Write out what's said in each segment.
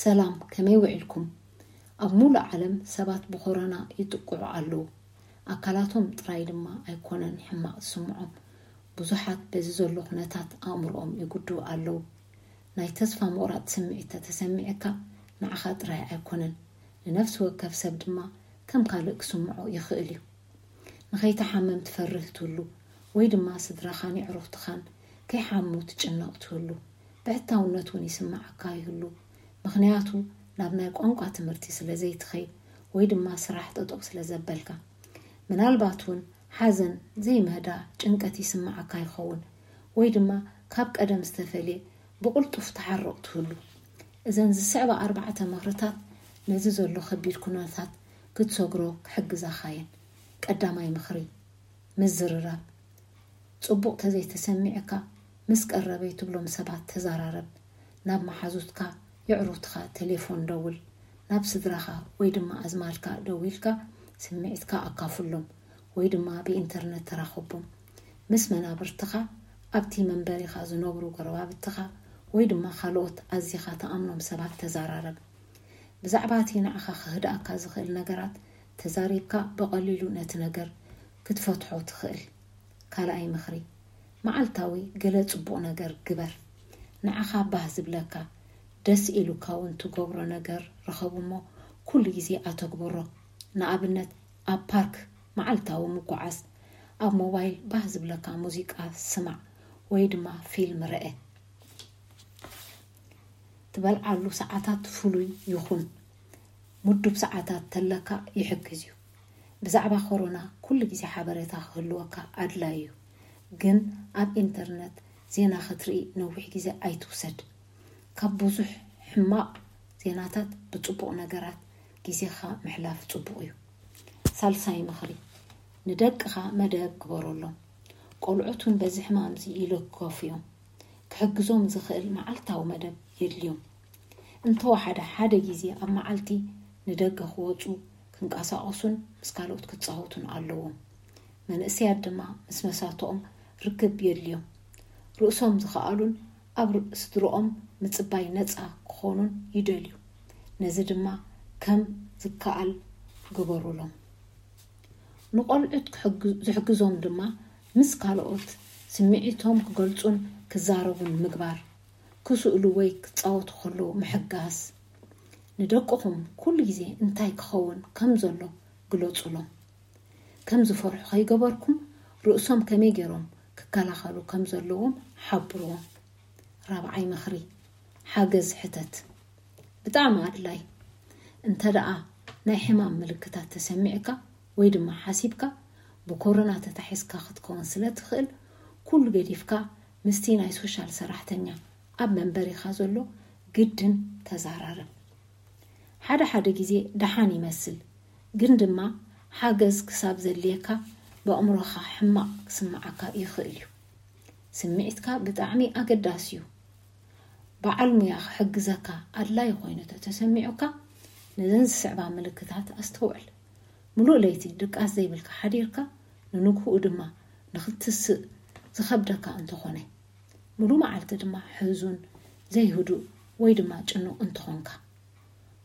ሰላም፣ ከመይ ውዒልኩም? ኣብ ሙሉእ ዓለም ሰባት ብኮሮና ይጥቅዑ ኣለዉ። ኣካላቶም ጥራይ ድማ ኣይኮነን ሕማቕ ዝስምዖም። ብዙሓት በዚ ዘሎ ኩነታት ኣእምሮኦም ይጉድኡ ኣለዉ። ናይ ተስፋ ምቑራጽ ስምዒት ተተሰሚዐካ ንዓኻ ጥራይ ኣይኮነን፣ ንነፍሲ ወከፍ ሰብ ድማ ከም ካልእ ክስምዖ ይኽእል እዩ። ንኸይትሓምም ትፈርህ ትህሉ ወይ ድማ ስድራኻን የዕሩኽትኻን ከይሓሙ ትጭነቕ ትህሉ። ብሕታውነት እውን ይስምዓካ ይህሉ። ምኽንያቱ ናብ ናይ ቋንቋ ትምህርቲ ስለ ዘይትኸይድ ወይ ድማ ስራሕ ጠጠው ስለ ዘበልካ። ምናልባት እውን ሓዘን፣ ዘይምህዳ፣ ጭንቀት ይስምዓካ ይኸውን ወይ ድማ ካብ ቀደም ዝተፈልየ ብቕልጡፍ ትሓርቕ ትህሉ። እዘን ዝስዕባ ኣርባዕተ ምኽርታት ነዚ ዘሎ ከቢድ ኩነታት ክትሰግሮ ክሕግዛኻ እየን። ቀዳማይ ምኽሪ፣ ምዝርራብ። ጽቡቕ ተዘይተሰሚዕካ ምስ ቀረበይ ትብሎም ሰባት ተዘራረብ። ናብ መሓዙትካ፣ የዕሩትካ ቴሌፎን ደውል። ናብ ስድራኻ ወይ ድማ ኣዝማድካ ደዊልካ ስምዒትካ ኣካፍሎም ወይ ድማ ብኢንተርነት ተራኸቦም። ምስ መናብርትኻ፣ ኣብቲ መንበሪኻ ዝነብሩ ጎረባብትኻ ወይ ድማ ካልኦት ኣዚኻ ትኣምኖም ሰባት ተዘራረብ። ብዛዕባ እቲ ንዓኻ ክህድኣካ ዝኽእል ነገራት ተዛሪብካ ብቐሊሉ ነቲ ነገር ክትፈትሖ ትኽእል። ካልኣይ ምኽሪ፣ መዓልታዊ ገለ ጽቡቕ ነገር ግበር። ንዓኻ ባህ ዝብለካ፣ ደስ ኢሉካ እውን ትገብሮ ነገር ርኸብ እሞ ኩሉ ግዜ ኣተግብሮ። ንኣብነት ኣብ ፓርክ መዓልታዊ ምጉዓዝ፣ ኣብ ሞባይል ባህ ዝብለካ ሙዚቃ ስማዕ ወይ ድማ ፊልም ርአ። ትበልዓሉ ሰዓታት ፍሉይ ይኹን፣ ምዱብ ሰዓታት ተለካ ይሕግዝ እዩ። ብዛዕባ ኮሮና ኩሉ ግዜ ሓበሬታ ክህልወካ ኣድላዪ እዩ፣ ግን ኣብ ኢንተርነት ዜና ክትርኢ ነዊሕ ግዜ ኣይትውሰድ። ካብ ብዙሕ ሕማቕ ዜናታት ብጽቡቕ ነገራት ግዜኻ ምሕላፍ ጽቡቕ እዩ። ሳልሳይ ምኽሪ፣ ንደቅኻ መደብ ግበረሎም። ቆልዑት እውን በዚ ሕማም እዚ ይልከፉ እዮም። ክሕግዞም ዝኽእል መዓልታዊ መደብ የድልዮም። እንተወሓደ ሓደ ግዜ ኣብ መዓልቲ ንደገ ክወጹ፣ ክንቀሳቐሱን ምስ ካልኦት ክጻወቱን ኣለዎም። መንእሰያት ድማ ምስ መሳትኦም ርክብ የድልዮም። ርእሶም ዝኸኣሉን ኣብ ር-፣ ስድርኦም ምጽባይ ነጻ ክኾኑን ይደልዩ። ነዚ ድማ ከም ዝከኣል ግበሩሎም። ንቆልዑት ክሕግ-፣ ዝሕግዞም ድማ ምስ ካልኦት ስምዒቶም ክገልጹን ክዛረቡን ምግባር፣ ክስእሉ ወይ ክጻወቱ ከለዉ ምሕጋዝ። ንደቅኹም ኩሉ ግዜ እንታይ ክኸውን ከም ዘሎ ግለጹሎም። ከም ዝፈርሑ ከይገበርኩም ርእሶም ከመይ ገይሮም ክከላኸሉ ከም ዘለዎም ሓብርዎም። ራብዓይ ምኽሪ፣ ሓገዝ ሕተት። ብጣዕሚ ኣድላይ። እንተ ደኣ ናይ ሕማም ምልክታት ተሰሚዕካ ወይ ድማ ሓሲብካ ብኮሮና ተታሒዝካ ክትከውን ስለ ትኽእል፣ ኩሉ ገዲፍካ ምስቲ ናይ ሶሻል ሰራሕተኛ ኣብ መንበሪኻ ዘሎ ግድን ተዘራረብ። ሓደ ሓደ ግዜ ደሓን ይመስል፣ ግን ድማ ሓገዝ ክሳብ ዘድልየካ ብኣእምሮኻ ሕማቕ ክስምዓካ ይኽእል እዩ። ስምዒትካ ብጣዕሚ ኣገዳሲ እዩ። በዓል ሙያ ክሕግዘካ ኣድላዪ ኮይኑ ተተሰሚዑካ፣ ነዘን ዝስዕባ ምልክታት ኣስተውዕል። ምሉእ ለይቲ ድቃስ ዘይብልካ ሓዲርካ፣ ንንግህኡ ድማ ንኽትስእ ዝኸብደካ እንተኾነ፣ ምሉእ መዓልቲ ድማ ሕዙን፣ ዘይህዱእ ወይ ድማ ጭኑቕ እንተኾንካ፣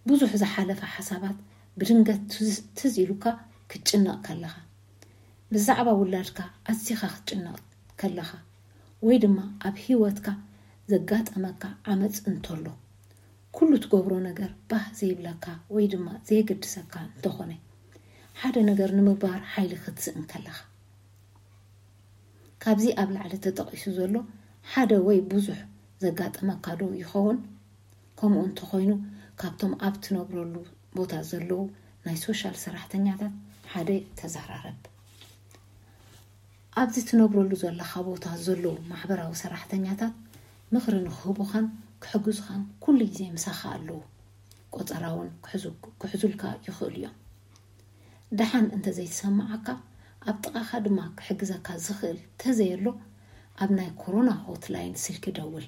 ብዙሕ ዝሓለፈ ሓሳባት ብድንገት ትዝ-፣ ትዝ ኢሉካ ክትጭነቕ ከለኻ፣ ብዛዕባ ውላድካ ኣዚኻ ክትጭነቕ ከለኻ፣ ወይ ድማ ኣብ ህይወትካ ዘጋጠመካ ዓመጽ እንተሎ፣ ኩሉ ትገብሮ ነገር ባህ ዘይብለካ ወይ ድማ ዘየገድሰካ እንተኾነ፣ ሓደ ነገር ንምግባር ሓይሊ ክትስእን ከለኻ። ካብዚ ኣብ ላዕሊ ተጠቒሱ ዘሎ ሓደ ወይ ብዙሕ ዘጋጠመካ ዶ ይኸውን? ከምኡ እንተኾይኑ፣ ካብቶም ኣብ ትነብረሉ ቦታ ዘለዉ ናይ ሶሻል ሰራሕተኛታት ሓደ ተዘራረብ። ኣብዚ ትነብረሉ ዘለኻ ቦታ ዘለዉ ማሕበራዊ ሰራሕተኛታት ምኽሪ ንክህቡኻን ክሕግዙኻን ኩሉ ግዜ ምሳኻ ኣለዉ። ቆጸራ እውን ክሕዙ-፣ ክሕዙልካ ይኽእሉ እዮም። ደሓን እንተዘይተሰማዓካ፣ ኣብ ጥቓኻ ድማ ክሕግዘካ ዝኽእል ተዘየሎ፣ ኣብ ናይ ኮሮና ሆትላይን ስልኪ ደውል።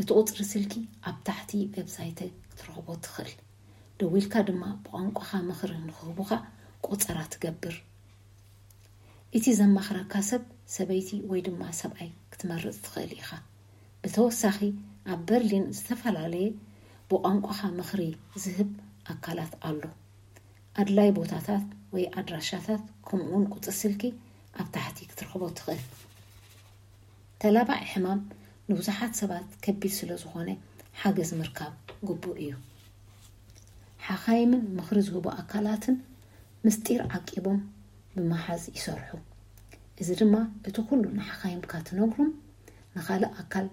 እቲ ቁጽሪ ስልኪ ኣብ ታሕቲ ዌብሳይተይ ክትረኽቦ ትኽእል። ደዊልካ ድማ ብቋንቋኻ ምኽሪ ንክህቡኻ ቆጸራ ትገብር። እቲ ዘማኽረካ ሰብ ሰበይቲ ወይ ድማ ሰብኣይ ክትመርጽ ትኽእል ኢኻ። ብተወሳኺ፣ ኣብ በርሊን ዝተፈላለየ ብቋንቋኻ ምኽሪ ዝህብ ኣካላት ኣሎ። ኣድላይ ቦታታት ወይ ኣድራሻታት ከምኡውን ቁጽሪ ስልኪ ኣብ ታሕቲ ክትረኽቦ ትኽእል። ተላባዒ ሕማም ንብዙሓት ሰባት ከቢድ ስለ ዝኾነ ሓገዝ ምርካብ ግቡእ እዩ። ሓኻይምን ምኽሪ ዝህቡ ኣካላትን ምስጢር ዓቂቦም ብምሓዝ ይሰርሑ። እዚ ድማ እቲ ኩሉ ንሓኻይምካ ትነግሮም ንኻልእ ኣካል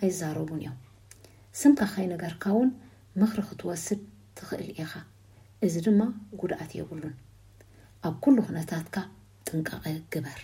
ኣይዛረቡን እዮም። ስምካ ከይነገርካ እውን ምኽሪ ክትወስድ ትኽእል ኢኻ። እዚ ድማ ጉድኣት የብሉን። ኣብ ኩሉ ኩነታትካ ጥንቃቐ ግበር።